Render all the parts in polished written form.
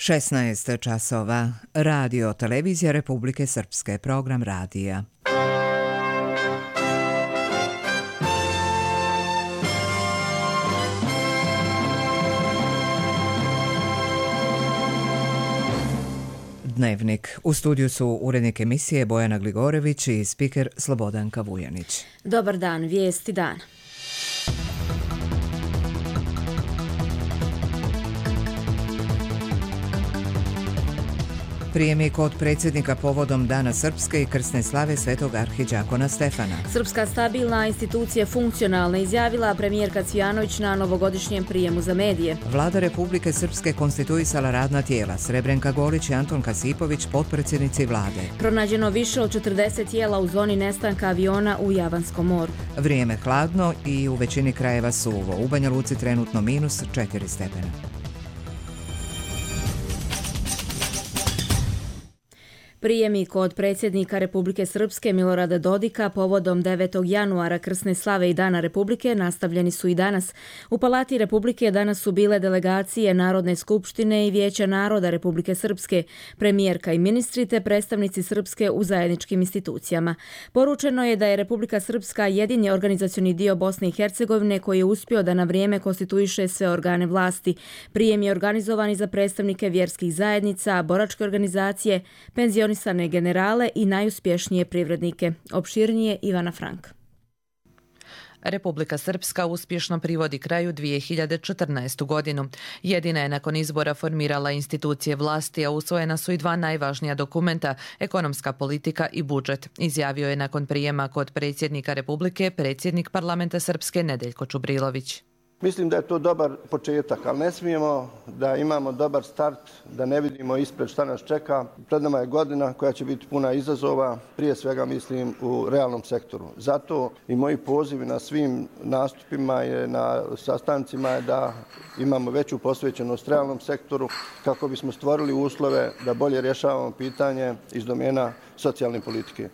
16 časova. Radio Televizija Republike Srpske. Program radija. Dnevnik. U studiju su urednik emisije Bojana Gligorević i spiker Slobodanka Vujanić. Dobar dan, vijesti dana. Prijemi kod predsjednika povodom Dana Srpske i krsne slave Svetog arhidžakona Stefana. Srpska stabilna, institucije funkcionalna, izjavila premijerka Cvijanović na novogodišnjem prijemu za medije. Vlada Republike Srpske konstituisala radna tijela. Srebrenka Golić i Anton Kasipović, potpredsjednici vlade. Pronađeno više od 40 tijela u zoni nestanka aviona u Javanskom moru. Vrijeme hladno i u većini krajeva suvo. U Banja Luci trenutno -4 stepena. Prijemi kod predsjednika Republike Srpske Milorada Dodika povodom 9. januara krsne slave i Dana Republike nastavljeni su i danas. U Palati Republike danas su bile delegacije Narodne skupštine i Vijeća naroda Republike Srpske, premijerka i ministri te predstavnici Srpske u zajedničkim institucijama. Poručeno je da je Republika Srpska jedini organizacioni dio Bosne i Hercegovine koji je uspio da na vrijeme konstituiše sve organe vlasti. Prijem je organizovan i za predstavnike vjerskih zajednica, boračke organizacije, penzionisane generale i najuspješnije privrednike. Opširnije Ivana Frank. Republika Srpska uspješno privodi kraju 2014. godinu. Jedina je nakon izbora formirala institucije vlasti, a usvojena su i dva najvažnija dokumenta, ekonomska politika i budžet, izjavio je nakon prijema kod predsjednika Republike predsjednik parlamenta Srpske Nedeljko Čubrilović. Mislim da je to dobar početak, ali ne smijemo da imamo dobar start, da ne vidimo ispred šta nas čeka. Pred nama je godina koja će biti puna izazova, prije svega mislim u realnom sektoru. Zato i moji pozivi na svim nastupima i na sastancima je da imamo veću posvećenost realnom sektoru kako bismo stvorili uslove da bolje rješavamo pitanje iz domena socijalne politike.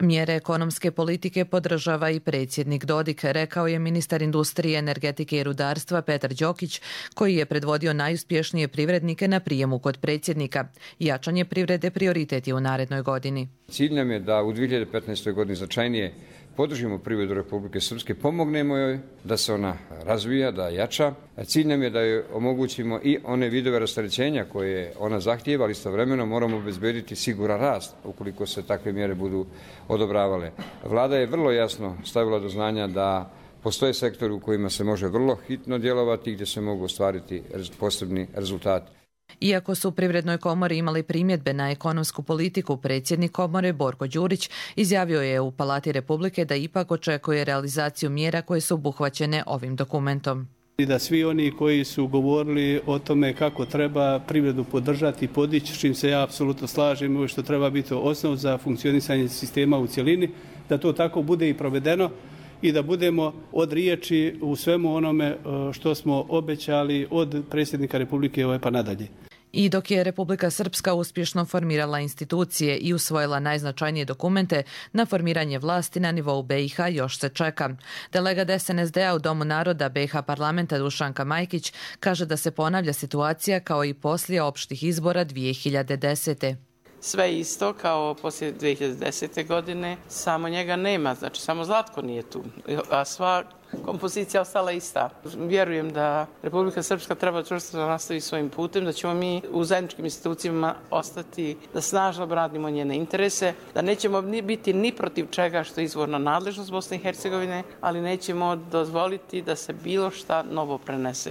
Mjere ekonomske politike podržava i predsjednik Dodik, rekao je ministar industrije, energetike i rudarstva Petar Đokić, koji je predvodio najuspješnije privrednike na prijemu kod predsjednika. Jačanje privrede prioritet je u narednoj godini. Cilj nam je da u 2015. godini značajnije podržimo privredu Republike Srpske, pomognemo joj da se ona razvija, da jača. Cilj nam je da joj omogućimo i one vidove rasterećenja koje ona zahtijeva, ali istovremeno moramo obezbediti siguran rast ukoliko se takve mjere budu odobravale. Vlada je vrlo jasno stavila do znanja da postoje sektori u kojima se može vrlo hitno djelovati i gdje se mogu ostvariti posebni rezultati. Iako su u Privrednoj komori imali primjedbe na ekonomsku politiku, predsjednik komore Borko Đurić izjavio je u Palati Republike da ipak očekuje realizaciju mjera koje su obuhvaćene ovim dokumentom. I da svi oni koji su govorili o tome kako treba privredu podržati i podići, s čim se ja apsolutno slažem, što treba biti osnov za funkcionisanje sistema u cjelini, da to tako bude i provedeno i da budemo od riječi u svemu onome što smo obećali od predsjednika Republike pa nadalje. I dok je Republika Srpska uspješno formirala institucije i usvojila najznačajnije dokumente, na formiranje vlasti na nivou BiH još se čeka. Delegat SNSD-a u Domu naroda BiH parlamenta Dušanka Majkić kaže da se ponavlja situacija kao i poslije opštih izbora 2010. Sve isto kao poslije 2010. godine, samo njega nema, znači samo Zlatko nije tu, a sva kompozicija ostala ista. Vjerujem da Republika Srpska treba čvrsto da nastavi svojim putem, da ćemo mi u zajedničkim institucijama ostati da snažno branimo njene interese, da nećemo biti ni protiv čega što je izvorna nadležnost Bosne i Hercegovine, ali nećemo dozvoliti da se bilo šta novo prenese.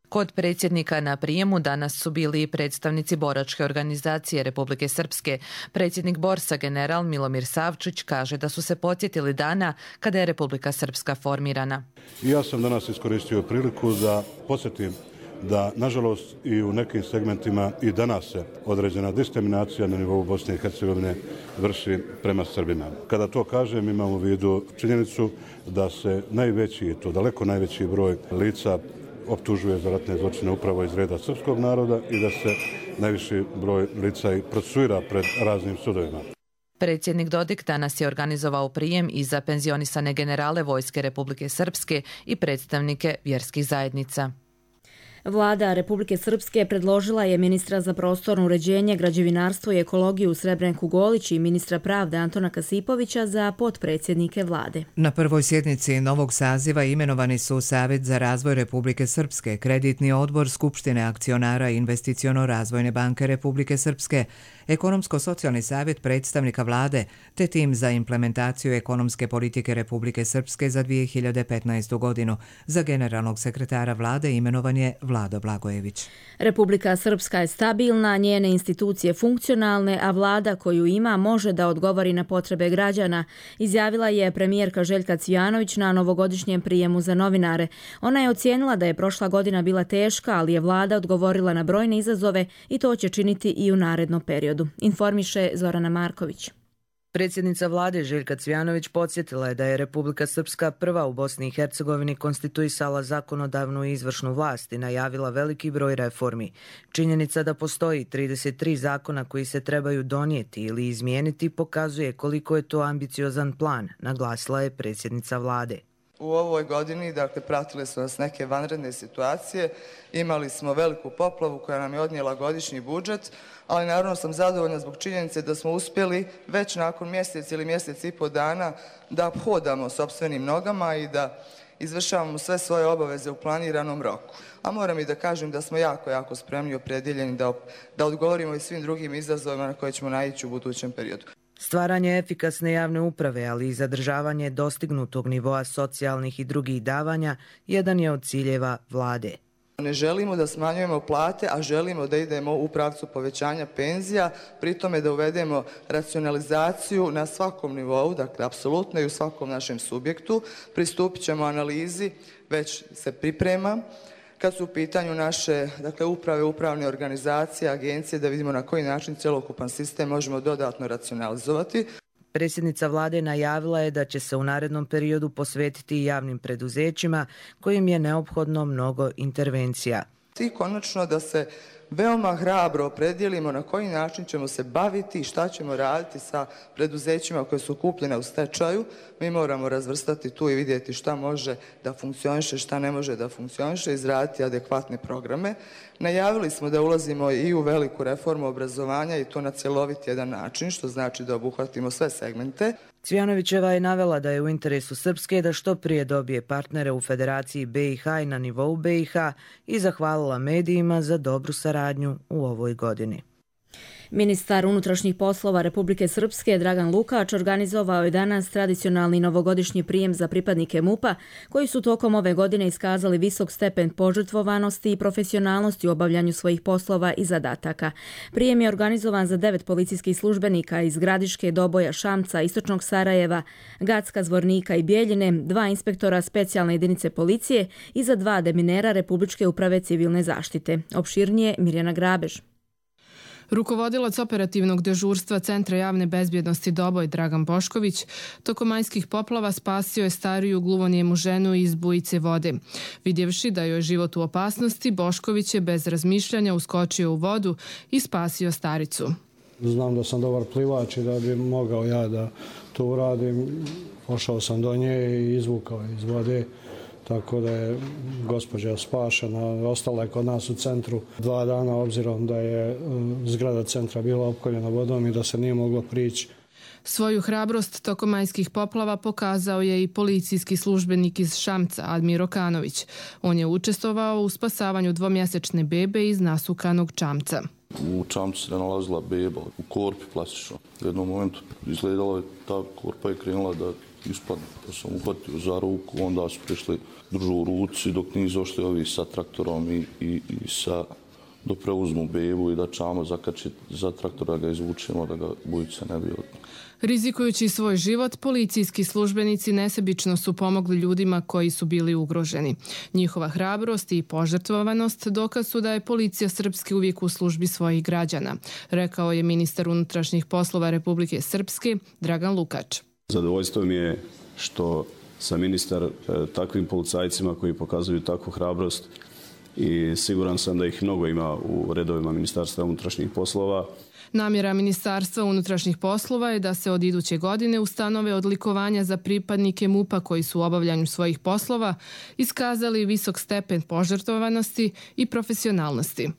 Kod predsjednika na prijemu danas su bili i predstavnici boračke organizacije Republike Srpske. Predsjednik Borsa general Milomir Savčić kaže da su se podsjetili dana kada je Republika Srpska formirana. Ja sam danas iskoristio priliku da podsjetim da, nažalost, i u nekim segmentima i danas se određena diskriminacija na nivou Bosne i Hercegovine vrši prema Srbima. Kada to kažem, imam u vidu činjenicu da se najveći, to daleko najveći broj lica optužuje za ratne zločine upravo iz reda srpskog naroda i da se najviši broj lica i procesuira pred raznim sudovima. Predsjednik Dodik danas je organizovao prijem i za penzionisane generale Vojske Republike Srpske i predstavnike vjerskih zajednica. Vlada Republike Srpske predložila je ministra za prostorno uređenje, građevinarstvo i ekologiju Srebrenku Golić i ministra pravde Antona Kasipovića za potpredsjednike vlade. Na prvoj sjednici novog saziva imenovani su Savjet za razvoj Republike Srpske, Kreditni odbor Skupštine akcionara Investiciono-razvojne banke Republike Srpske, Ekonomsko-socijalni savjet predstavnika vlade, te tim za implementaciju ekonomske politike Republike Srpske za 2015. godinu. Za generalnog sekretara vlade imenovan je Vlado Blagojević. Republika Srpska je stabilna, njene institucije funkcionalne, a vlada koju ima može da odgovori na potrebe građana, izjavila je premijerka Željka Cvijanović na novogodišnjem prijemu za novinare. Ona je ocijenila da je prošla godina bila teška, ali je vlada odgovorila na brojne izazove i to će činiti i u narednom periodu. Informiše Zorana Marković. Predsjednica vlade Željka Cvijanović podsjetila je da je Republika Srpska prva u Bosni i Hercegovini konstituisala zakonodavnu i izvršnu vlast i najavila veliki broj reformi. Činjenica da postoji 33 zakona koji se trebaju donijeti ili izmijeniti pokazuje koliko je to ambiciozan plan, naglasila je predsjednica vlade. U ovoj godini, pratile su nas neke vanredne situacije, imali smo veliku poplavu koja nam je odnijela godišnji budžet, ali naravno sam zadovoljna zbog činjenice da smo uspjeli već nakon mjesec ili mjesec i pol dana da hodamo sopstvenim nogama i da izvršavamo sve svoje obaveze u planiranom roku. A moram i da kažem da smo jako spremni i opredjeljeni da odgovorimo i svim drugim izazovima na koje ćemo naići u budućem periodu. Stvaranje efikasne javne uprave, ali i zadržavanje dostignutog nivoa socijalnih i drugih davanja jedan je od ciljeva vlade. Ne želimo da smanjujemo plate, a želimo da idemo u pravcu povećanja penzija, pri tome da uvedemo racionalizaciju na svakom nivou, dakle apsolutno i u svakom našem subjektu. Pristupit ćemo analizi, već se priprema, kad su u pitanju naše uprave, upravne organizacije, agencije, da vidimo na koji način cjelokupan sistem možemo dodatno racionalizovati. Predsjednica vlade najavila je da će se u narednom periodu posvetiti i javnim preduzećima kojim je neophodno mnogo intervencija. I konačno da se veoma hrabro opredijelimo na koji način ćemo se baviti i šta ćemo raditi sa preduzećima koje su kupljene u stečaju. Mi moramo razvrstati tu i vidjeti šta može da funkcioniše, šta ne može da funkcioniše, izraditi adekvatne programe. Najavili smo da ulazimo i u veliku reformu obrazovanja i to na cjelovit jedan način, što znači da obuhvatimo sve segmente. Cvijanovićeva je navela da je u interesu Srpske da što prije dobije partnere u Federaciji BiH i na nivou BiH i zahvalila medijima za dobru saradnju u ovoj godini. Ministar unutrašnjih poslova Republike Srpske Dragan Lukač organizovao je danas tradicionalni novogodišnji prijem za pripadnike MUP-a koji su tokom ove godine iskazali visok stepen požrtvovanosti i profesionalnosti u obavljanju svojih poslova i zadataka. Prijem je organizovan za 9 policijskih službenika iz Gradiške, Doboja, Šamca, Istočnog Sarajeva, Gacka, Zvornika i Bijeljine, 2 inspektora specijalne jedinice policije i za 2 deminera Republičke uprave civilne zaštite. Opširnije Mirjana Grabež. Rukovodilac operativnog dežurstva Centra javne bezbjednosti Doboj Dragan Bošković tokom majskih poplava spasio je stariju gluvonijemu ženu iz bujice vode. Vidjevši da joj je život u opasnosti, Bošković je bez razmišljanja uskočio u vodu i spasio staricu. Znam da sam dobar plivač i da bi mogao ja da to uradim. Pošao sam do nje i izvukao iz vode. Tako da je gospođa spašena, ostala je kod nas u centru 2 dana, obzirom da je zgrada centra bila opkoljena vodom i da se nije moglo prići. Svoju hrabrost tokom majskih poplava pokazao je i policijski službenik iz Šamca, Admir Okanović. On je učestvovao u spasavanju 2-mjesečne bebe iz nasukanog čamca. U čamcu se nalazila beba, u korpi plastično. U jednom momentu izgledala je ta korpa i krenula da ispadne. Pa sam uhvatio za ruku, onda su prišli držu u ruci dok nisu došli ovi sa traktorom i da preuzmu bebu i da čamo zakačiti za traktora, ga izvučemo da ga bujica ne bi odnijela. Rizikujući svoj život, policijski službenici nesebično su pomogli ljudima koji su bili ugroženi. Njihova hrabrost i požrtvovanost dokaz su da je policija Srpske uvijek u službi svojih građana, rekao je ministar unutrašnjih poslova Republike Srpske Dragan Lukač. Zadovoljstvo mi je što sam ministar takvim policajcima koji pokazuju takvu hrabrost i siguran sam da ih mnogo ima u redovima Ministarstva unutrašnjih poslova. Namjera Ministarstva unutrašnjih poslova je da se od iduće godine ustanove odlikovanja za pripadnike MUP-a koji su u obavljanju svojih poslova iskazali visok stepen požrtvovanosti i profesionalnosti.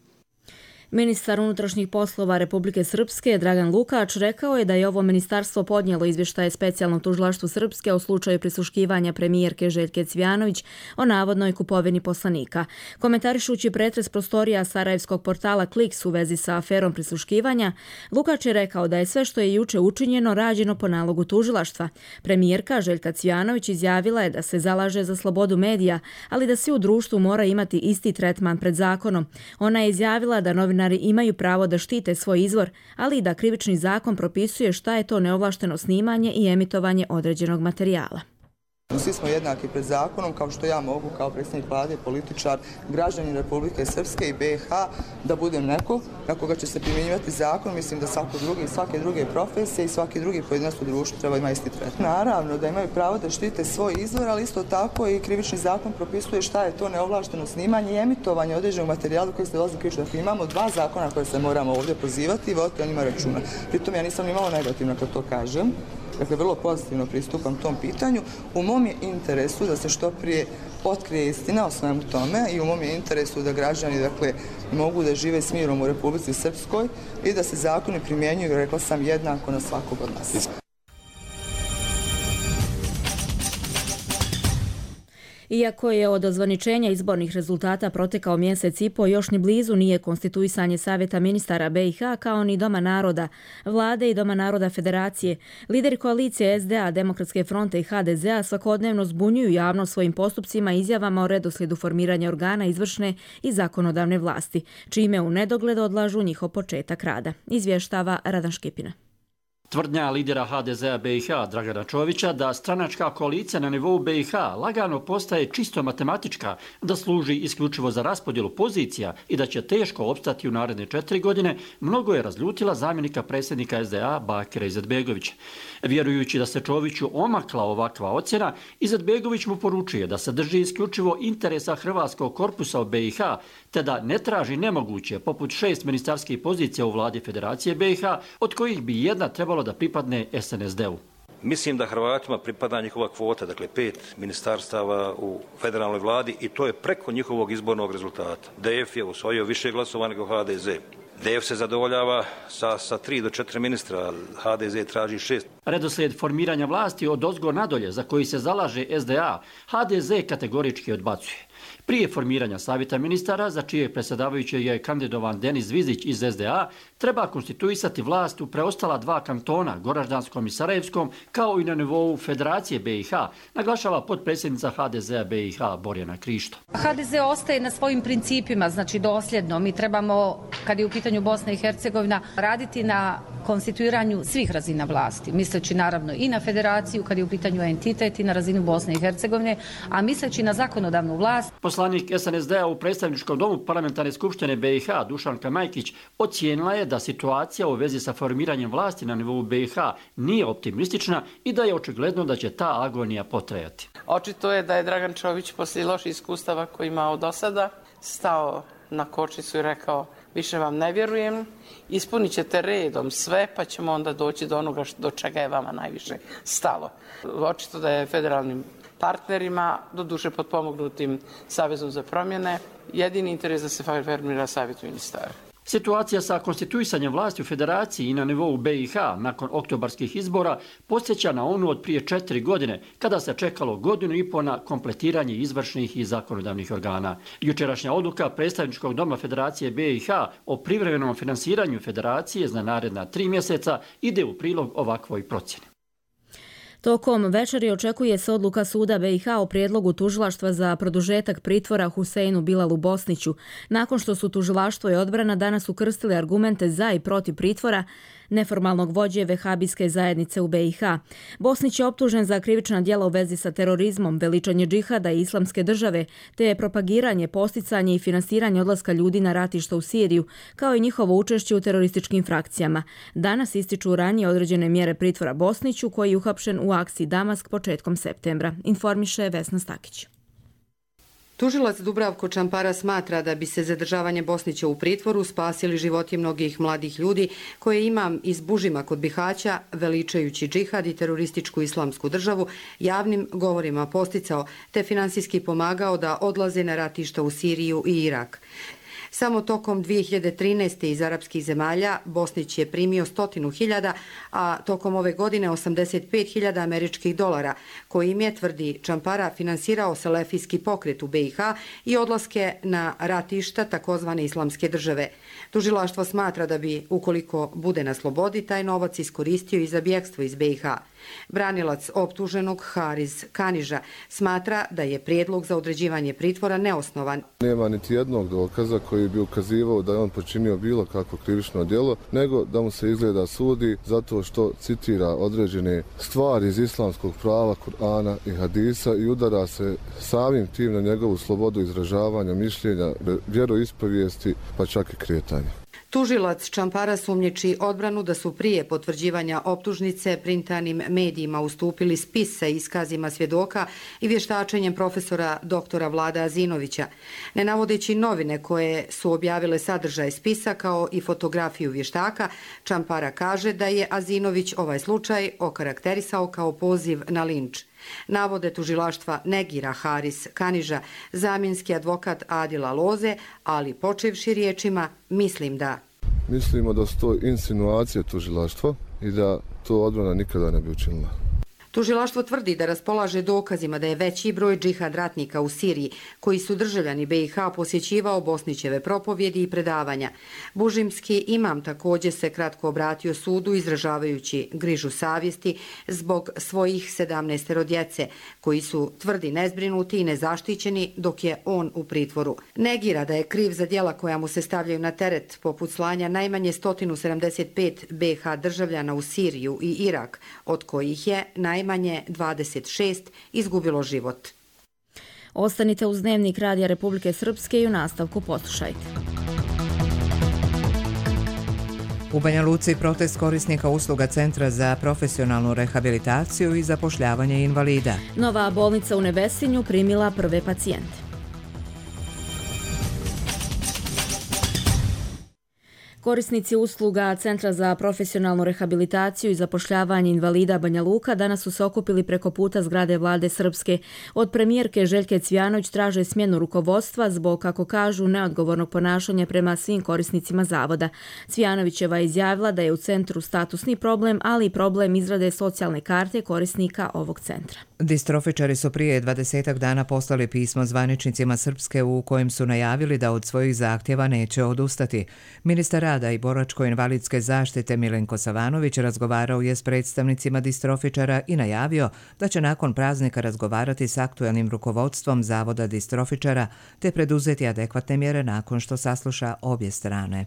Ministar unutrašnjih poslova Republike Srpske Dragan Lukač rekao je da je ovo ministarstvo podnijelo izvještaje specijalnom tužilaštvu Srpske o slučaju prisluškivanja premijerke Željke Cvijanović o navodnoj kupovini poslanika. Komentarišući pretres prostorija sarajevskog portala Kliks u vezi sa aferom prisluškivanja, Lukač je rekao da je sve što je juče učinjeno rađeno po nalogu tužilaštva. Premijerka Željka Cvijanović izjavila je da se zalaže za slobodu medija, ali da svi u društvu mora imati isti tretman pred zakonom. Ona je izjavila da novinari imaju pravo da štite svoj izvor, ali i da krivični zakon propisuje šta je to neovlašteno snimanje i emitovanje određenog materijala. Svi smo jednaki pred zakonom, kao što ja mogu kao predsjednik vlade, političar, građanin Republike Srpske i BiH da budem neko na koga će se primjenjivati zakon. Mislim da svake druge profesije i svaki drugi pojedinac u društvu treba ima isti tretman. Naravno da imaju pravo da štite svoj izvor, ali isto tako i krivični zakon propisuje šta je to neovlašteno snimanje i emitovanje određenog materijala koji se dolazi krivično. Dakle, imamo dva zakona koje se moramo ovdje pozivati i voditi o njima računa. Pritom ja nisam imala negativno kad to kažem. Dakle, vrlo pozitivno pristupam tom pitanju. U mom je interesu da se što prije otkrije istina o svemu tome i u mom je interesu da građani mogu da žive s mirom u Republici Srpskoj i da se zakoni primjenjuju, rekla sam, jednako na svakog od nas. Iako je od ozvaničenja izbornih rezultata protekao mjesec i po, još ni blizu nije konstituisanje Savjeta ministara BiH kao ni Doma naroda, Vlade i Doma naroda Federacije. Lideri koalicije SDA, Demokratske fronte i HDZ-a svakodnevno zbunjuju javnost svojim postupcima i izjavama o redoslijedu formiranja organa izvršne i zakonodavne vlasti, čime u nedogled odlažu njihov početak rada. Izvještava Radan Škipina. Tvrdnja lidera HDZ-a BiH Dragana Čovića da stranačka koalicija na nivou BiH lagano postaje čisto matematička, da služi isključivo za raspodjelu pozicija i da će teško opstati u naredne 4 godine, mnogo je razljutila zamjenika predsjednika SDA Bakira Izetbegovića. Vjerujući da se Čoviću omakla ovakva ocjena, Izetbegović mu poručuje da se drži isključivo interesa hrvatskog korpusa u BiH, te da ne traži nemoguće, poput 6 ministarskih pozicija u vladi Federacije BiH, od kojih bi jedna trebalo da pripadne SNSD-u. Mislim da Hrvatima pripada njihova kvota, dakle 5 ministarstava u federalnoj vladi i to je preko njihovog izbornog rezultata. DF je osvojio više glasova nego HDZ. DF se zadovoljava sa 3 do 4 ministra, HDZ traži 6. Redoslijed formiranja vlasti od ozgo nadolje za koji se zalaže SDA, HDZ kategorički odbacuje. Prije formiranja Savjeta ministara, za čije predsjedavajuće je kandidovan Denis Zvizić iz SDA, treba konstituisati vlast u preostala 2 kantona, Goraždanskom i Sarajevskom, kao i na nivou Federacije BiH, naglašava potpredsjednica HDZ-a BiH Borjana Krišto. HDZ ostaje na svojim principima, znači dosljedno. Mi trebamo, kad je u pitanju Bosna i Hercegovina, raditi na konstituiranju svih razina vlasti, misleći naravno i na federaciju, kad je u pitanju entitet i na razinu Bosne i Hercegovine, a misleći na zakonodavnu vlast. Poslanik SNSD-a u predstavničkom domu Parlamentarne skupštine BiH Dušanka Majkić ocijenila je da situacija u vezi sa formiranjem vlasti na nivou BiH nije optimistična i da je očigledno da će ta agonija potrajati. Očito je da je Dragan Čović poslije loših iskustava koje imao do sada stao na kočnicu i rekao: više vam ne vjerujem, ispunit ćete redom sve, pa ćemo onda doći do onoga do čega je vama najviše stalo. Očito da je federalnim partnerima, doduše potpomognutim Savezom za promjene, jedini interes da se formira Savjet ministara. Situacija sa konstituisanjem vlasti u Federaciji i na nivou BiH nakon oktobarskih izbora podsjeća na onu od prije 4 godine, kada se čekalo 1,5 godine na kompletiranje izvršnih i zakonodavnih organa. Jučerašnja odluka predstavničkog doma Federacije BiH o privremenom finansiranju Federacije za naredna 3 mjeseca ide u prilog ovakvoj procjeni. Tokom večeri očekuje se odluka suda BiH o prijedlogu tužilaštva za produžetak pritvora Huseinu Bilalu Bosniću, nakon što su tužilaštvo i odbrana danas ukrstili argumente za i protiv pritvora neformalnog vođe vehabijske zajednice u BiH. Bosnić je optužen za krivična djela u vezi sa terorizmom, veličanje džihada i islamske države, te je propagiranje, posticanje i finansiranje odlaska ljudi na ratišta u Siriju, kao i njihovo učešće u terorističkim frakcijama. Danas ističu ranije određene mjere pritvora Bosniću, koji je uhapšen u akciji Damask početkom septembra, informiše Vesna Stakić. Tužilac Dubravko Čampara smatra da bi se zadržavanje Bosnića u pritvoru spasili životi mnogih mladih ljudi koje imam iz Bužima kod Bihaća, veličajući džihad i terorističku islamsku državu, javnim govorima posticao te finansijski pomagao da odlaze na ratišta u Siriju i Irak. Samo tokom 2013. iz arapskih zemalja Bosnić je primio 100.000, a tokom ove godine 85.000 američkih dolara, kojim je, tvrdi Čampara, finansirao selefijski pokret u BiH i odlaske na ratišta takozvane islamske države. Tužilaštvo smatra da bi, ukoliko bude na slobodi, taj novac iskoristio i za bjegstvo iz BiH. Branilac optuženog Haris Kaniža smatra da je prijedlog za određivanje pritvora neosnovan. Nema niti jednog dokaza koji bi ukazivao da je on počinio bilo kakvo krivično djelo, nego da mu se izgleda sudi zato što citira određene stvari iz islamskog prava, Kur'ana i hadisa i udara se samim tim na njegovu slobodu izražavanja, mišljenja, vjeroispovijesti pa čak i kretanja. Tužilac Čampara sumnjiči odbranu da su prije potvrđivanja optužnice printanim medijima ustupili spis sa iskazima svjedoka i vještačenjem profesora doktora Vlada Azinovića. Ne navodeći novine koje su objavile sadržaj spisa kao i fotografiju vještaka, Čampara kaže da je Azinović ovaj slučaj okarakterisao kao poziv na linč. Navode tužilaštva negira Haris Kaniža, zamjenski advokat Adila Loze, ali počevši riječima mislim da. Mislimo da su to insinuacije tužilaštva i da to odbrana nikada ne bi učinila. Tužilaštvo tvrdi da raspolaže dokazima da je veći broj džihad ratnika u Siriji, koji su državljani BiH, posjećivao Bosnićeve propovjedi i predavanja. Bužimski imam također se kratko obratio sudu izražavajući grižu savjesti zbog svojih 17 djece, koji su, tvrdi, nezbrinuti i nezaštićeni dok je on u pritvoru. Negira da je kriv za djela koja mu se stavljaju na teret, poput slanja najmanje 175 BiH državljana u Siriju i Irak, od kojih je najmanje 26 izgubilo život. Ostanite uz Dnevnik Radija Republike Srpske i u nastavku poslušajte. U Banja Luci protest korisnika usluga Centra za profesionalnu rehabilitaciju i zapošljavanje invalida. Nova bolnica u Nevesinju primila prve pacijente. Korisnici usluga Centra za profesionalnu rehabilitaciju i zapošljavanje invalida Banja Luka danas su se okupili preko puta zgrade Vlade Srpske. Od premijerke Željke Cvijanović traže smjenu rukovodstva zbog, kako kažu, neodgovornog ponašanja prema svim korisnicima zavoda. Cvijanovićeva je izjavila da je u centru statusni problem, ali i problem izrade socijalne karte korisnika ovog centra. Distrofičari su prije 20 dana poslali pismo zvaničnicima Srpske u kojem su najavili da od svojih zahtjeva neće odustati. Ministar rada i boračko-invalidske zaštite Milenko Savanović razgovarao je s predstavnicima distrofičara i najavio da će nakon praznika razgovarati s aktuelnim rukovodstvom Zavoda distrofičara te preduzeti adekvatne mjere nakon što sasluša obje strane.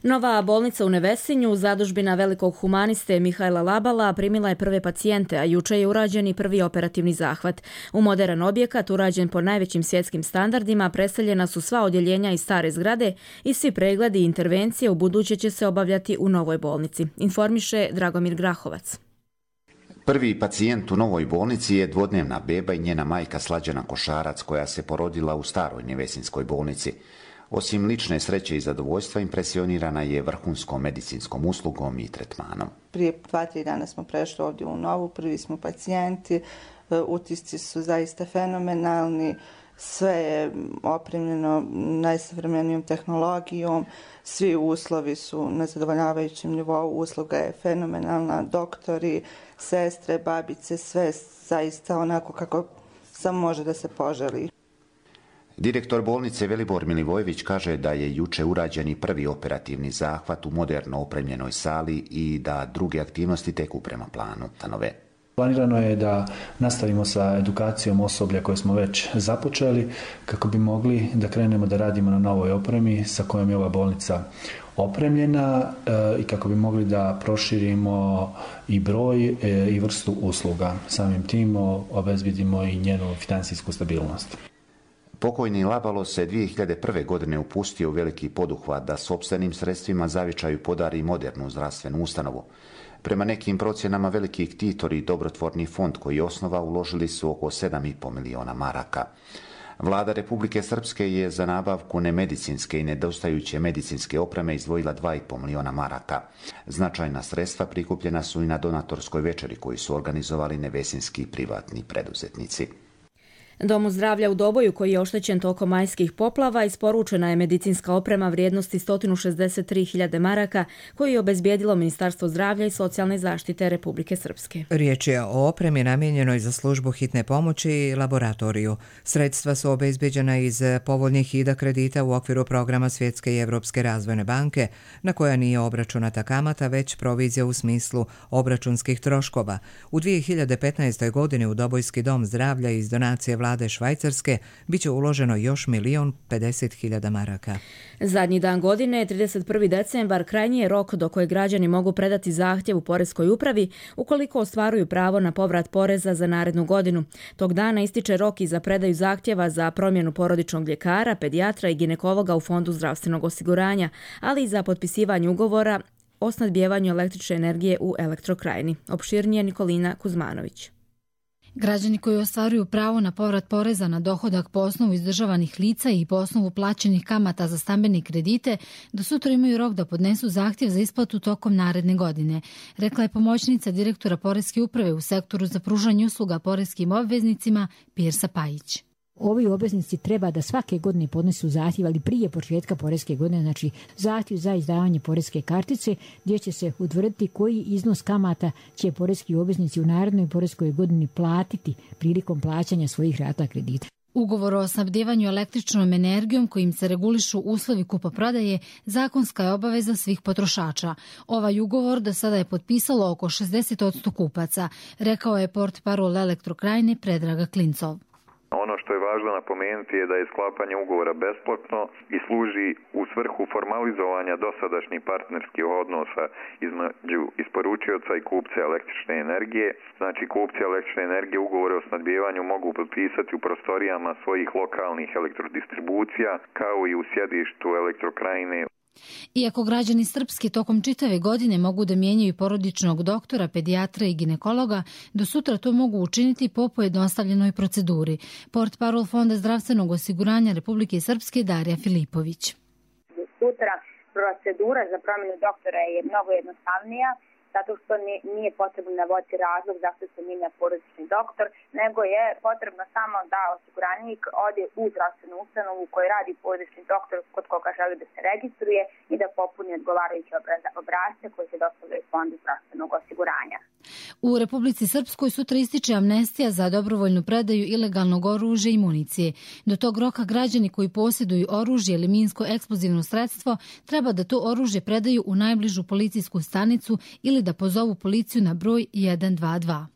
Nova bolnica u Nevesinju, zadužbina velikog humaniste Mihajla Labala, primila je prve pacijente, a juče je urađen i prvi operativni zahvat. U moderan objekat, urađen po najvećim svjetskim standardima, preseljena su sva odjeljenja iz stare zgrade i svi pregledi i intervencije u buduće će se obavljati u novoj bolnici, informiše Dragomir Grahovac. Prvi pacijent u novoj bolnici je dvodnevna beba i njena majka Slađana Košarac, koja se porodila u staroj Nevesinskoj bolnici. Osim lične sreće i zadovoljstva, impresionirana je vrhunskom medicinskom uslugom i tretmanom. Prije 2-3 dana smo prešli ovdje u novu, prvi smo pacijenti, utisci su zaista fenomenalni, sve je opremljeno najsavremenijom tehnologijom, svi uslovi su na zadovoljavajućem nivou, usluga je fenomenalna, doktori, sestre, babice, sve zaista onako kako samo može da se poželi. Direktor bolnice Velibor Milivojević kaže da je juče urađen i prvi operativni zahvat u moderno opremljenoj sali i da druge aktivnosti teku prema planu. Planirano je da nastavimo sa edukacijom osoblja koje smo već započeli kako bi mogli da krenemo da radimo na novoj opremi sa kojom je ova bolnica opremljena i kako bi mogli da proširimo i broj i vrstu usluga. Samim tim obezbedimo i njenu finansijsku stabilnost. Pokojni Labalo se 2001. godine upustio u veliki poduhvat da sopstvenim sredstvima Zavičaju podari modernu zdravstvenu ustanovu. Prema nekim procjenama veliki ktitori i dobrotvorni fond koji je osnova uložili su oko 7,5 miliona maraka. Vlada Republike Srpske je za nabavku nemedicinske i nedostajuće medicinske opreme izdvojila 2,5 miliona maraka. Značajna sredstva prikupljena su i na donatorskoj večeri koju su organizovali nevesinski privatni preduzetnici. Domu zdravlja u Doboju, koji je oštećen tokom majskih poplava, isporučena je medicinska oprema vrijednosti 163.000 maraka koju je obezbijedilo Ministarstvo zdravlja i socijalne zaštite Republike Srpske. Riječ je o opremi namijenjenoj za službu hitne pomoći i laboratoriju. Sredstva su obezbijeđena iz povoljnih ida kredita u okviru programa Svjetske i Evropske razvojne banke, na koja nije obračunata kamata, već provizija u smislu obračunskih troškova. U 2015. godini u Dobojski dom zdravlja iz donacije Vlade Švajcarske biće uloženo još 1.050.000 maraka. Zadnji dan godine, 31. decembar, krajnji je rok do koje građani mogu predati zahtjev u poreskoj upravi ukoliko ostvaruju pravo na povrat poreza za narednu godinu. Tog dana ističe rok i za predaju zahtjeva za promjenu porodičnog ljekara, pedijatra i ginekologa u Fondu zdravstvenog osiguranja, ali i za potpisivanje ugovora o snabdijevanju električne energije u Elektrokrajini. Opširnije Nikolina Kuzmanović. Građani koji ostvaruju pravo na povrat poreza na dohodak po osnovu izdržavanih lica i po osnovu plaćenih kamata za stambene kredite do sutra imaju rok da podnesu zahtjev za isplatu tokom naredne godine, rekla je pomoćnica direktora Poreske uprave u sektoru za pružanje usluga poreskim obveznicima Pirsa Pajić. Ovi obveznici treba da svake godine podnesu zahtjev, ali prije početka poreske godine, znači zahtjev za izdavanje poreske kartice, gdje će se utvrditi koji iznos kamata će poreski obveznici u narednoj poreskoj godini platiti prilikom plaćanja svojih rata kredita. Ugovor o snabdevanju električnom energijom kojim se regulišu uslovi kupoprodaje zakonska je obaveza svih potrošača. Ovaj ugovor do sada je potpisalo oko 60% kupaca, rekao je portparol Elektrokrajine Predraga Klincov. Ono što je važno napomenuti je da je sklapanje ugovora besplatno i služi u svrhu formalizovanja dosadašnjih partnerskih odnosa između isporučioca i kupca električne energije. Znači, kupci električne energije ugovore o snabdijevanju mogu potpisati u prostorijama svojih lokalnih elektrodistribucija kao i u sjedištu Elektrokrajine. Iako građani Srpske tokom čitave godine mogu da mijenjaju porodičnog doktora, pedijatra i ginekologa, do sutra to mogu učiniti po pojednostavljenoj proceduri. Portparol Fonda zdravstvenog osiguranja Republike Srpske Darija Filipović. Sutra procedura za promjenu doktora je mnogo jednostavnija, zato što nije potrebno navoditi razlog zašto se mijenja porodični doktor, nego je potrebno samo da osiguranik ode u zdravstvenu ustanovu u kojoj radi porodični doktor kod koga želi da se registruje i da popuni odgovarajuće obrasce koji se dostavljaju Fondu zdravstvenog osiguranja. U Republici Srpskoj sutra ističe amnestija za dobrovoljnu predaju ilegalnog oružja i municije. Do tog roka građani koji posjeduju oružje ili minsko-eksplozivno sredstvo treba da to oružje predaju u najbližu policijsku stanicu ili da pozovu policiju na broj 122.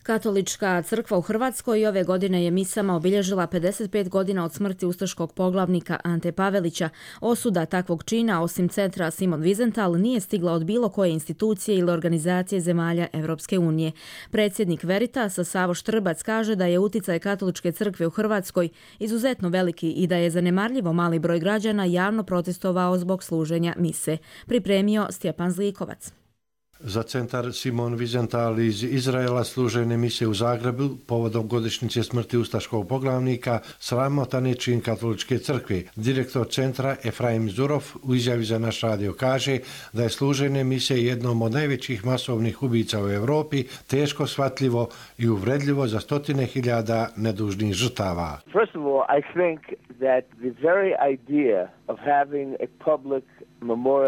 Katolička crkva u Hrvatskoj ove godine je misama obilježila 55 godina od smrti ustaškog poglavnika Ante Pavelića. Osuda takvog čina, osim centra Simon Wiesenthal, nije stigla od bilo koje institucije ili organizacije zemalja Evropske unije. Predsjednik Veritasa Savo Štrbac kaže da je uticaj Katoličke crkve u Hrvatskoj izuzetno veliki i da je zanemarljivo mali broj građana javno protestovao zbog služenja mise. Pripremio Stjepan Zlikovac. Za centar Simon Wiesenthal iz Izraela služene mise u Zagrebu povodom godišnjice smrti ustaškog poglavnika sramotan je čin Katoličke crkve. Direktor centra Efraim Zurov u izjavi za naš radio kaže da je služene mise jednom od najvećih masovnih ubica u Europi teško shvatljivo i uvredljivo za stotine hiljada nedužnih žrtava. First of all, I think that the very idea of having a public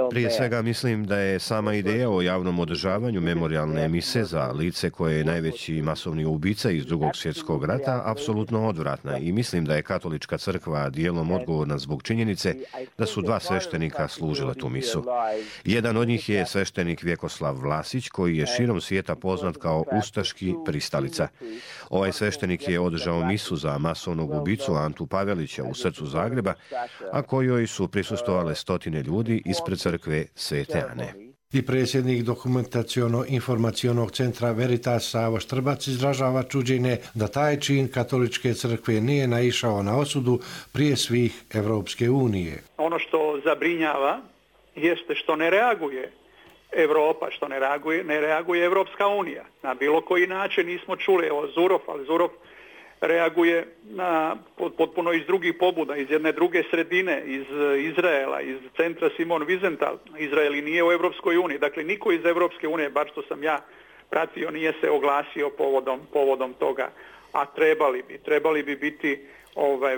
Prije svega mislim da je sama ideja o javnom održavanju memorijalne mise za lice koje je najveći masovni ubica iz Drugog svjetskog rata apsolutno odvratna i mislim da je Katolička crkva dijelom odgovorna zbog činjenice da su dva sveštenika služila tu misu. Jedan od njih je sveštenik Vjekoslav Vlasić koji je širom svijeta poznat kao ustaški pristalica. Ovaj sveštenik je održao misu za masovnog ubicu Antu Pavelića u srcu Zagreba, a kojoj su prisustvovale stotine ljudi ispred crkve Svete Ane. I predsjednik dokumentaciono-informacionog centra Veritas Savo Štrbac izražava čuđenje da taj čin Katoličke crkve nije naišao na osudu prije svih Evropske unije. Ono što zabrinjava jeste što ne reaguje Evropa, što ne reaguje Evropska unija. Na bilo koji način nismo čuli, evo Zurov, ali Zurov reaguje potpuno iz drugih pobuda, iz jedne druge sredine, iz Izraela, iz centra Simon Wiesenthal. Izrael i nije u Evropskoj uniji. Dakle, niko iz Evropske unije, bar što sam ja pratio, nije se oglasio povodom toga. A trebali bi biti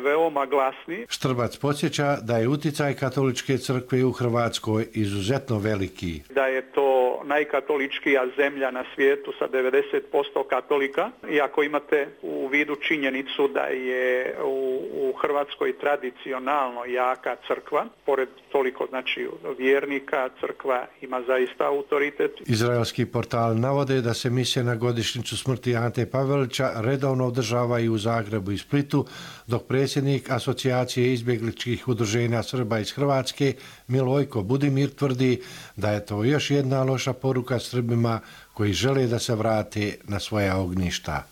veoma glasni. Štrbac podsjeća da je uticaj katoličke crkve u Hrvatskoj izuzetno veliki. Da je to najkatoličkija zemlja na svijetu sa 90% katolika. I ako imate u vidu činjenicu da je u Hrvatskoj tradicionalno jaka crkva, pored toliko vjernika, crkva ima zaista autoritet. Izraelski portal navode da se mise na godišnjicu smrti Ante Pavelića redovno održavaju u Zagrebu i Splitu, dok predsjednik Asocijacije izbjegličkih udruženja Srba iz Hrvatske Milojko Budimir tvrdi da je to još jedna loša poruka Srbima koji žele da se vrate na svoja ognjišta.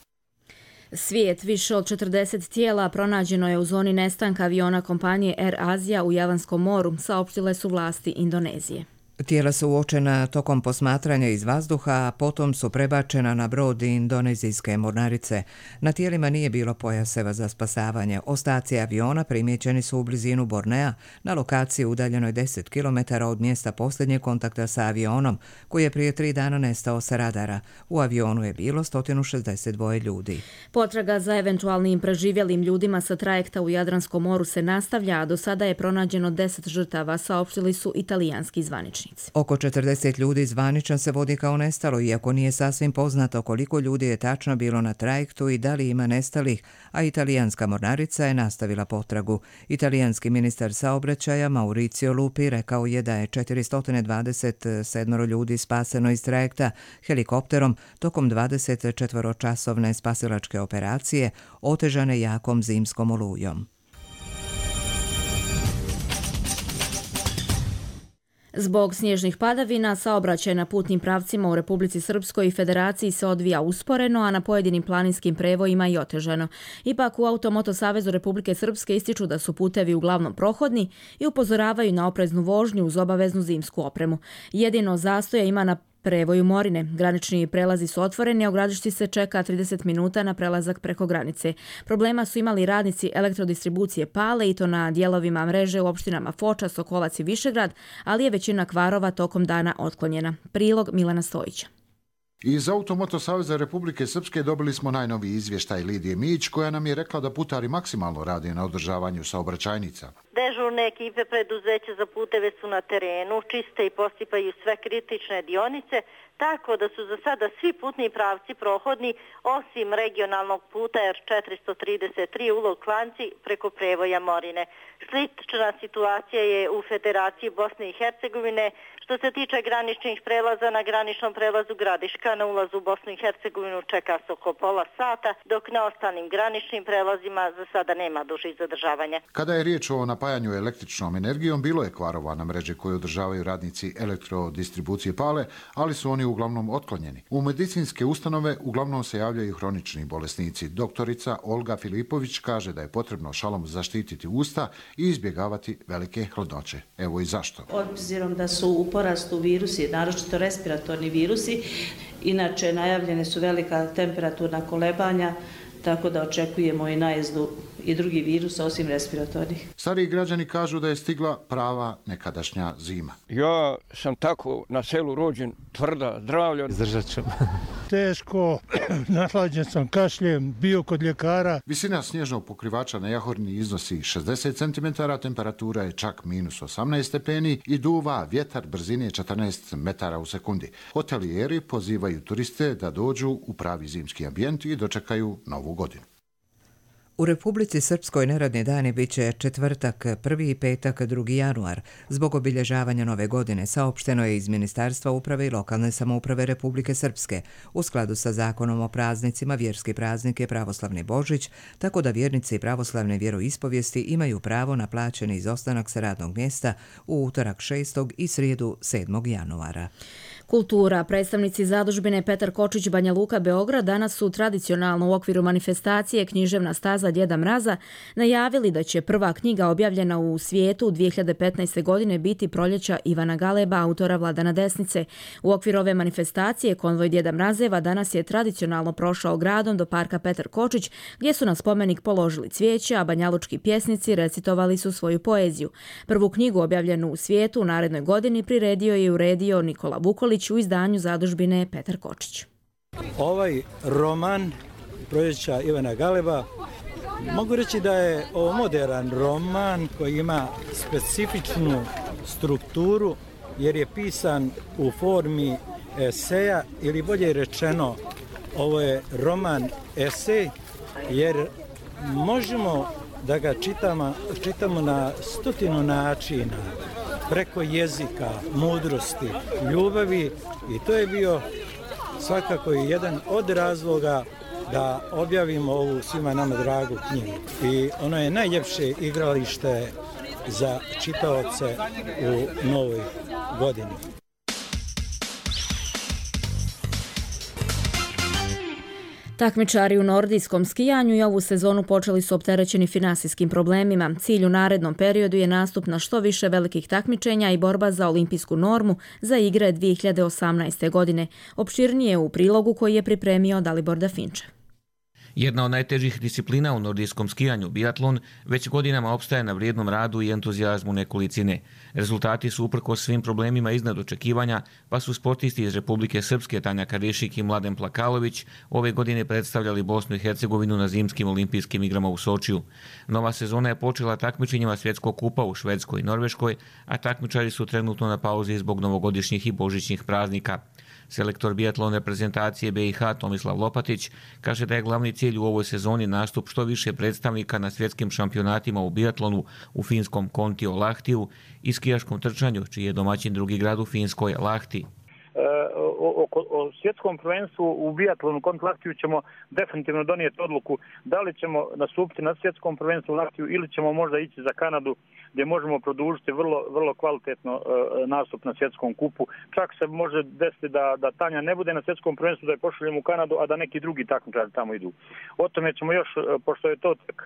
Svijet, više od 40 tijela pronađeno je u zoni nestanka aviona kompanije Air Asia u Javanskom moru, saopštile su vlasti Indonezije. Tijela su uočena tokom posmatranja iz vazduha, a potom su prebačena na brod indonezijske mornarice. Na tijelima nije bilo pojaseva za spasavanje. Ostaci aviona primjećeni su u blizinu Bornea, na lokaciji udaljenoj 10 km od mjesta posljednjeg kontakta sa avionom, koji je prije 3 dana nestao sa radara. U avionu je bilo 162 ljudi. Potraga za eventualnim preživjelim ljudima sa trajekta u Jadranskom moru se nastavlja, a do sada je pronađeno 10 žrtava, saopštili su italijanski zvaničnici. Oko 40 ljudi zvanično se vodi kao nestalo, iako nije sasvim poznato koliko ljudi je tačno bilo na trajektu i da li ima nestalih, a italijanska mornarica je nastavila potragu. Italijanski ministar saobraćaja Mauricio Lupi rekao je da je 427 ljudi spaseno iz trajekta helikopterom tokom 24-časovne spasilačke operacije, otežane jakom zimskom olujom. Zbog snježnih padavina, saobraćaj na putnim pravcima u Republici Srpskoj i Federaciji se odvija usporeno, a na pojedinim planinskim prevojima i otežano. Ipak u Automoto Savezu Republike Srpske ističu da su putevi uglavnom prohodni i upozoravaju na opreznu vožnju uz obaveznu zimsku opremu. Jedino zastoja ima na prevoju Morine. Granični prelazi su otvoreni, a u Gradišti se čeka 30 minuta na prelazak preko granice. Problema su imali radnici elektrodistribucije Pale i to na dijelovima mreže u opštinama Foča, Sokolac i Višegrad, ali je većina kvarova tokom dana otklonjena. Prilog Milana Stojića. Iz Automoto Saveza Republike Srpske dobili smo najnoviji izvještaj Lidije Mić, koja nam je rekla da putari maksimalno rade na održavanju saobraćajnica. Dežurne ekipe preduzeća za puteve su na terenu, čiste i posipaju sve kritične dionice, tako da su za sada svi putni pravci prohodni, osim regionalnog puta R433 Ulog Klanci preko prevoja Morine. Slična situacija je u Federaciji Bosne i Hercegovine. Što se tiče graničnih prelaza, na graničnom prelazu Gradiška na ulazu u Bosnu i Hercegovinu čeka se oko pola sata, dok na ostalim graničnim prelazima za sada nema dužih zadržavanja. Kada je riječ o napajanju električnom energijom, bilo je kvarova na mreži koje održavaju radnici elektrodistribucije Pale, ali su oni uglavnom otklonjeni. U medicinske ustanove uglavnom se javljaju hronični bolesnici. Doktorica Olga Filipović kaže da je potrebno šalom zaštititi usta i izbjegavati velike hladnoće. Evo i zašto. Obzirom da su u porastu virusi, naročito respiratorni virusi, inače najavljene su velika temperaturna kolebanja, tako da očekujemo i najezdu i drugi virusa osim respiratornih. Stariji građani kažu da je stigla prava nekadašnja zima. Ja sam tako na selu rođen, tvrda, zdravlja. Izdržat ću. Teško, nahlađen sam, kašljem, bio kod ljekara. Visina snježnog pokrivača na Jahorni iznosi 60 cm, temperatura je čak minus 18 stepeni i duva vjetar brzine 14 metara u sekundi. Hotelijeri pozivaju turiste da dođu u pravi zimski ambijent i dočekaju novu godinu. U Republici Srpskoj neradni dani bit će četvrtak 1. i petak 2. januar. Zbog obilježavanja nove godine saopšteno je iz Ministarstva uprave i lokalne samouprave Republike Srpske. U skladu sa zakonom o praznicima, vjerski praznik je pravoslavni Božić, tako da vjernici pravoslavne vjeroispovijesti imaju pravo na plaćeni izostanak sa radnog mjesta u utorak 6. i srijedu 7. januara. Kultura. Predstavnici zadužbine Petar Kočić Banja Luka Beograd danas su tradicionalno u okviru manifestacije Književna staza Djeda Mraza najavili da će prva knjiga objavljena u svijetu 2015. godine biti Proljeća Ivana Galeba, autora Vladana Desnice. U okviru ove manifestacije konvoj Djeda Mrazeva danas je tradicionalno prošao gradom do parka Petar Kočić, gdje su na spomenik položili cvijeće, a banjalučki pjesnici recitovali su svoju poeziju. Prvu knjigu objavljenu u svijetu u narednoj godini priredio i uredio Nikola Vukolić u izdanju zadužbine Petar Kočić. Ovaj roman Proljeća Ivana Galeba mogu reći da je ovo moderan roman koji ima specifičnu strukturu jer je pisan u formi eseja ili bolje rečeno ovo je roman esej jer možemo da ga čitamo na 100 načina preko jezika, mudrosti, ljubavi i to je bio svakako i jedan od razloga da objavimo ovu svima nama dragu knjigu. I ono je najljepše igralište za čitaoce u novoj godini. Takmičari u nordijskom skijanju i ovu sezonu počeli su opterećeni finansijskim problemima. Cilj u narednom periodu je nastup na što više velikih takmičenja i borba za olimpijsku normu za igre 2018. godine. Opširnije u prilogu koji je pripremio Dalibor Dafinče. Jedna od najtežih disciplina u nordijskom skijanju, biatlon, već godinama opstaje na vrijednom radu i entuzijazmu nekolicine. Rezultati su uprkos svim problemima iznad očekivanja, pa su sportisti iz Republike Srpske Tanja Karišik i Mladen Plakalović ove godine predstavljali Bosnu i Hercegovinu na zimskim olimpijskim igrama u Sočiju. Nova sezona je počela takmičenjima svjetskog kupa u Švedskoj i Norveškoj, a takmičari su trenutno na pauzi zbog novogodišnjih i božićnih praznika. Selektor biatlon reprezentacije BiH Tomislav Lopatić kaže da je glavni cilj u ovoj sezoni nastup što više predstavnika na svjetskim šampionatima u biatlonu u finskom Kontio Lahtiju i skijaškom trčanju, čiji je domaćin drugi grad u Finskoj Lahti. O svjetskom prvenstvu u biatlonu Kontio Lahtiju ćemo definitivno donijeti odluku da li ćemo nastupiti na svjetskom prvenstvu u Lahtiju ili ćemo možda ići za Kanadu gdje možemo produžiti vrlo kvalitetno nastup na svjetskom kupu. Čak se može desiti da Tanja ne bude na svjetskom prvenstvu, da je pošaljemo u Kanadu, a da neki drugi takmičari tamo idu. O tome ćemo još, pošto je to tek,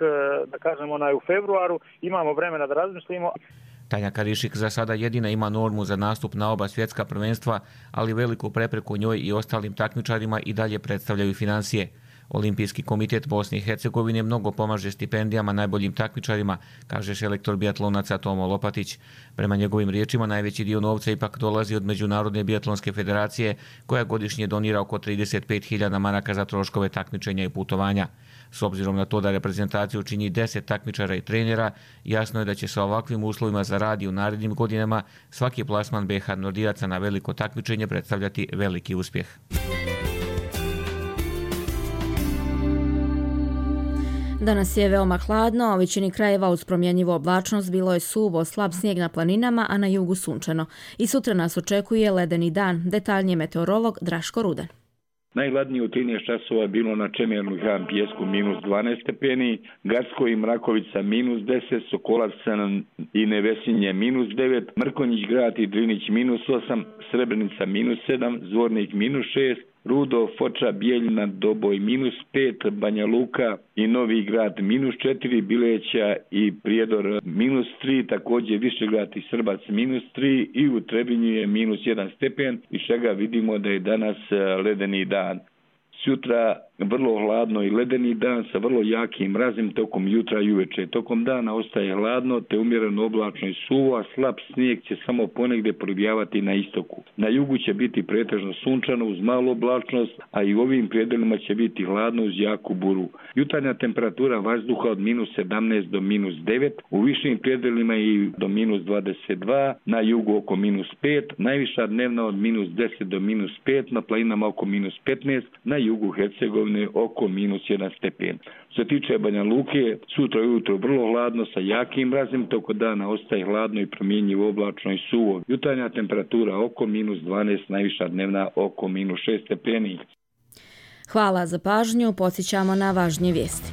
da kažemo, u februaru, imamo vremena da razmislimo. Tanja Karišik za sada jedina ima normu za nastup na oba svjetska prvenstva, ali veliku prepreku njoj i ostalim takmičarima i dalje predstavljaju financije. Olimpijski komitet Bosne i Hercegovine mnogo pomaže stipendijama najboljim takmičarima, kaže selektor biatlonaca Tomo Lopatić. Prema njegovim riječima najveći dio novca ipak dolazi od Međunarodne biatlonske federacije, koja godišnje donira oko 35.000 maraka za troškove takmičenja i putovanja. S obzirom na to da reprezentaciju čini 10 takmičara i trenera, jasno je da će sa ovakvim uslovima za rad i u narednim godinama svaki plasman BiH nordijaca na veliko takmičenje predstavljati veliki uspjeh. Danas je veoma hladno, a u većini krajeva uz promjenjivu oblačnost bilo je suvo, slab snijeg na planinama, a na jugu sunčano. I sutra nas očekuje ledeni dan, detaljnije meteorolog Draško Ruden. Najhladnije u 13 časova je bilo na Čemernu i Han Pijesku minus 12 stepeni, Garsko i Mrakovica minus 10, Sokolac i Nevesinje minus 9, Mrkonjić Grad i Drinić minus 8, Srebrenica minus 7, Zvornik minus 6, Rudo, Foča, Bijeljina, Doboj minus 5, Banja Luka i Novi Grad minus 4, Bileća i Prijedor minus 3, također Višegrad i Srbac minus 3 i u Trebinju je minus 1 stepen, iz čega vidimo da je danas ledeni dan. Sutra vrlo hladno i ledeni dan sa vrlo jakim mrazim tokom jutra i uveče. Tokom dana ostaje hladno te umjereno oblačno i suvo, a slab snijeg će samo ponegdje probijavati na istoku. Na jugu će biti pretežno sunčano uz malu oblačnost, a i u ovim predelima će biti hladno uz jaku buru. Jutarnja temperatura vazduha od minus 17 do minus 9, u višim predelima i do minus 22, na jugu oko minus 5, najviša dnevna od minus 10 do minus 5, na planinama oko minus 15, na jugu Hercegovine oko minus 1 stepen. Što se tiče Banja Luke, sutra ujutro vrlo hladno sa jakim mrazem, toko dana ostaje hladno i promjenjivo oblačno i suvo. Jutarnja temperatura oko minus 12, najviša dnevna oko minus 6 stepeni. Hvala za pažnju, podsjećamo na važnije vijesti.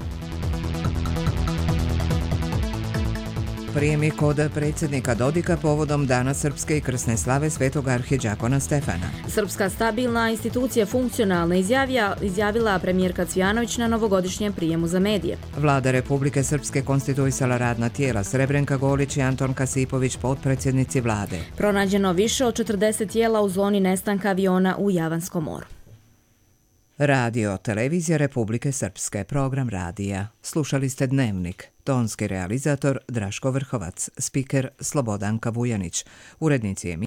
prijemi kod predsjednika Dodika povodom Dana srpske i krsne slave svetog arhidžakona Stefana. Srpska stabilna institucija funkcionalna izjavila premijerka Cvijanović na novogodišnjem prijemu za medije. Vlada Republike Srpske konstituisala radna tijela Srebrenka Golić i Anton Kasipović, potpredsjednici vlade. Pronađeno više od 40 tijela u zoni nestanka aviona u Javanskom moru. Radio Televizija Republike Srpske, program radija. Slušali ste Dnevnik. Tonski realizator Draško Vrhovac, spiker Slobodanka Vujanić, urednici emisije